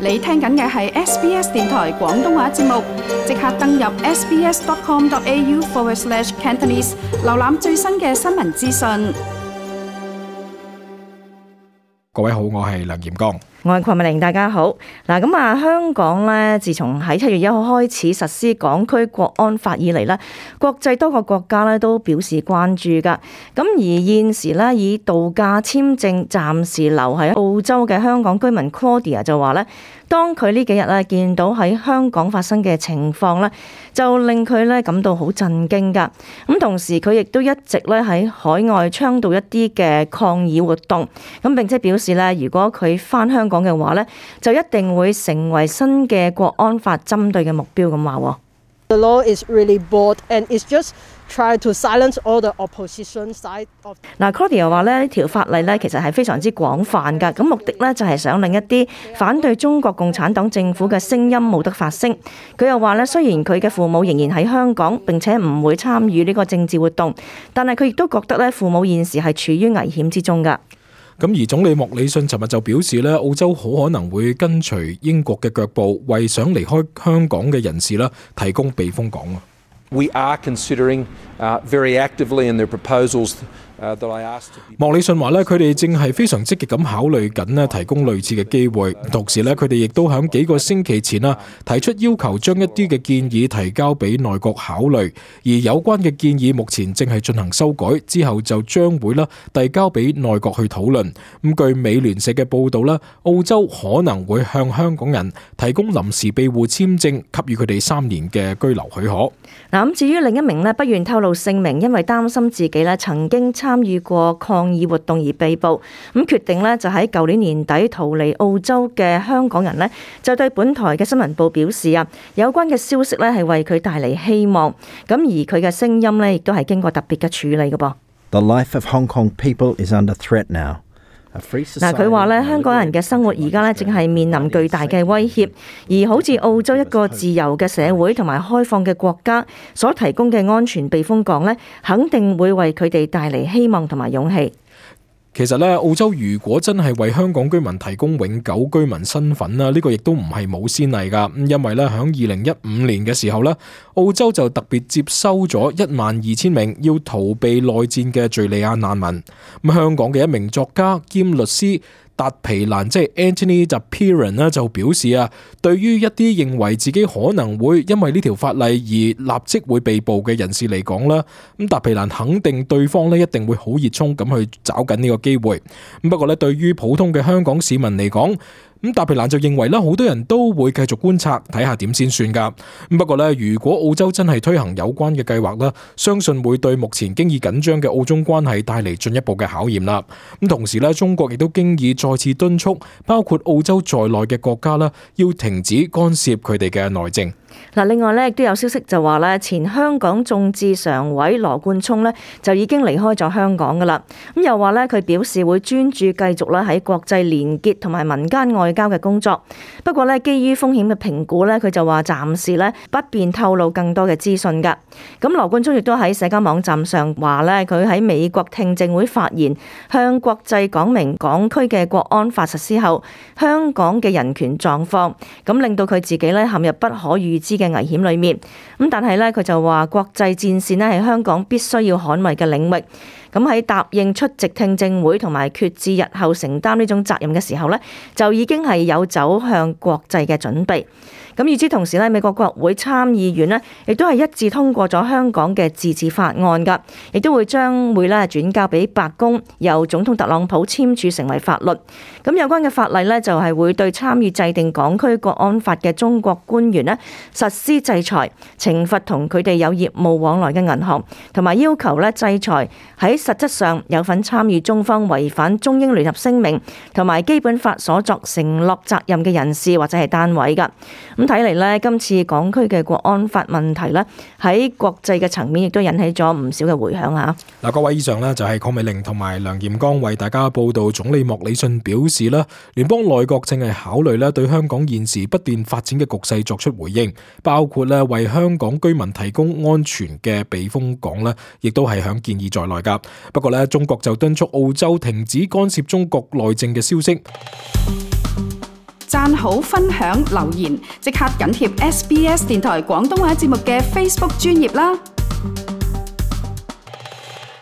你聽緊嘅係 SBS 電台廣東話節目，即刻登入 sbs.com.au/Cantonese 瀏覽最新嘅新聞資訊。各位好，我係梁炎剛。我係鄺美玲，大家好。香港咧，自從喺7月1號開始實施港區國安法以嚟咧，國際多個國家咧都表示關注噶。咁而現時咧，以度假簽證暫時留喺澳洲嘅香港居民 Claudia 就話咧，當佢呢幾日咧見到喺香港發生嘅情況咧，就令佢咧感到好震驚噶。咁同時佢亦都一直咧喺海外倡導一啲嘅抗議活動，咁並且表示咧，如果佢返香港嘅話咧，就一定會成為新嘅國安法針對嘅目標咁話。The law is really broad and it's just try to silence all the opposition side of。Claudia 話咧，呢條法例咧其實係非常之廣泛㗎，咁目的咧就係想令一啲反對中國共產黨政府嘅聲音冇得發聲。佢又話咧，雖然佢嘅父母仍然喺香港，並且唔會參與呢個政治活動，但係佢亦都覺得咧，父母現時係處於危險之中㗎。咁而總理莫里遜尋日就表示咧，澳洲好可能會跟隨英國嘅腳步，為想離開香港嘅人士啦提供避風港。We are considering very actively in their proposals that I asked。莫里遜話咧，佢哋正係非常積極咁考慮緊咧提供類似嘅機會，同時咧佢哋亦都喺幾個星期前啦提出要求將一啲嘅建議提交俾內閣考慮，而有關嘅建議目前正係進行修改，之後就將會啦遞交俾內閣去討論。咁據美聯社嘅報道咧，澳洲可能會向香港人提供臨時庇護簽證，給予佢哋3年嘅居留許可。咁至於另一名咧不願透露姓名，因為擔心自己咧曾經參與過抗議活動而被捕，咁決定咧就喺舊年年底逃離澳洲嘅香港人咧，就對本台嘅新聞部表示啊，有關嘅消息咧係為佢帶嚟希望，咁而佢嘅聲音咧亦都係經過特別嘅處理嘅噃。The life of Hong Kong people is under threat now。佢話咧，香港人嘅生活而家咧正係面臨巨大嘅威脅，而好似澳洲一個自由嘅社會同埋開放嘅國家所提供嘅安全避風港咧，肯定會為佢哋帶嚟希望同埋勇氣。其實咧，澳洲如果真係為香港居民提供永久居民身份啦，呢個亦都唔係冇先例噶。因為咧，響2015年嘅時候咧，澳洲就特別接收咗12000名要逃避內戰嘅敘利亞難民。咁香港嘅一名作家兼律師達皮蘭即係 Anthony Dapiran 咧就表示啊，對於一啲認為自己可能會因為呢條法例而立即會被捕嘅人士嚟講啦，咁達皮蘭肯定對方咧一定會好熱衷咁去找緊呢個機會。不過咧，對於普通嘅香港市民嚟講，咁達皮蘭就認為咧，好多人都會繼續觀察睇下點先算噶。不過咧，如果澳洲真係推行有關嘅計劃啦，相信會對目前經已緊張嘅澳中關係帶嚟進一步嘅考驗啦。咁同時咧，中國亦都經已再次敦促包括澳洲在內嘅國家啦，要停止干涉佢哋嘅內政。另外咧，亦都有消息就話咧，前香港眾志常委羅冠聰咧就已經離開咗香港噶啦。咁又話咧，佢表示會專注繼續咧喺國際連結同埋民間外交嘅工作。不過咧，基於風險嘅評估咧，佢就話暫時咧不便透露更多嘅資訊噶。咁羅冠聰亦都喺社交網站上話咧，佢喺美國聽證會發言，向國際講明港區嘅國安法實施後香港嘅人權狀況，咁令到佢自己咧陷入不可預知嘅危險裏面。咁但係咧，佢就話國際戰線咧係香港必須要捍衛嘅領域。咁喺答應出席聽證會同埋決志日後承擔呢種責任嘅時候咧，就已經係有走向國際嘅準備。咁與此同時咧，美國國會參議院咧亦都係一致通過咗香港嘅自治法案噶，亦都會將會咧轉交俾白宮，由總統特朗普簽署成為法律。咁有關嘅法例咧就係會對參與制定港區國安法嘅中國官員咧實施制裁，懲罰同佢哋有業務往來嘅銀行，同埋要求咧制裁喺實質上有份參與中方違反中英聯合聲明同埋基本法所作承諾責任嘅人士或者係單位噶。咁睇嚟咧，今次港區嘅國安法問題咧，喺國際嘅層面亦都引起咗唔少嘅迴響嚇。嗱，各位以上咧就係鄺美玲同埋梁炎剛為大家報道。總理莫里遜表示啦，聯邦內閣正係考慮咧對香港現時不斷發展嘅局勢作出回應，包括咧為香港居民提供安全嘅避風港咧，亦都係響建議在內噶。不過咧，中國就敦促澳洲停止干涉中國內政嘅消息。讚好、分享、留言，即刻緊貼SBS 電台廣東話節目嘅 Facebook 專頁啦！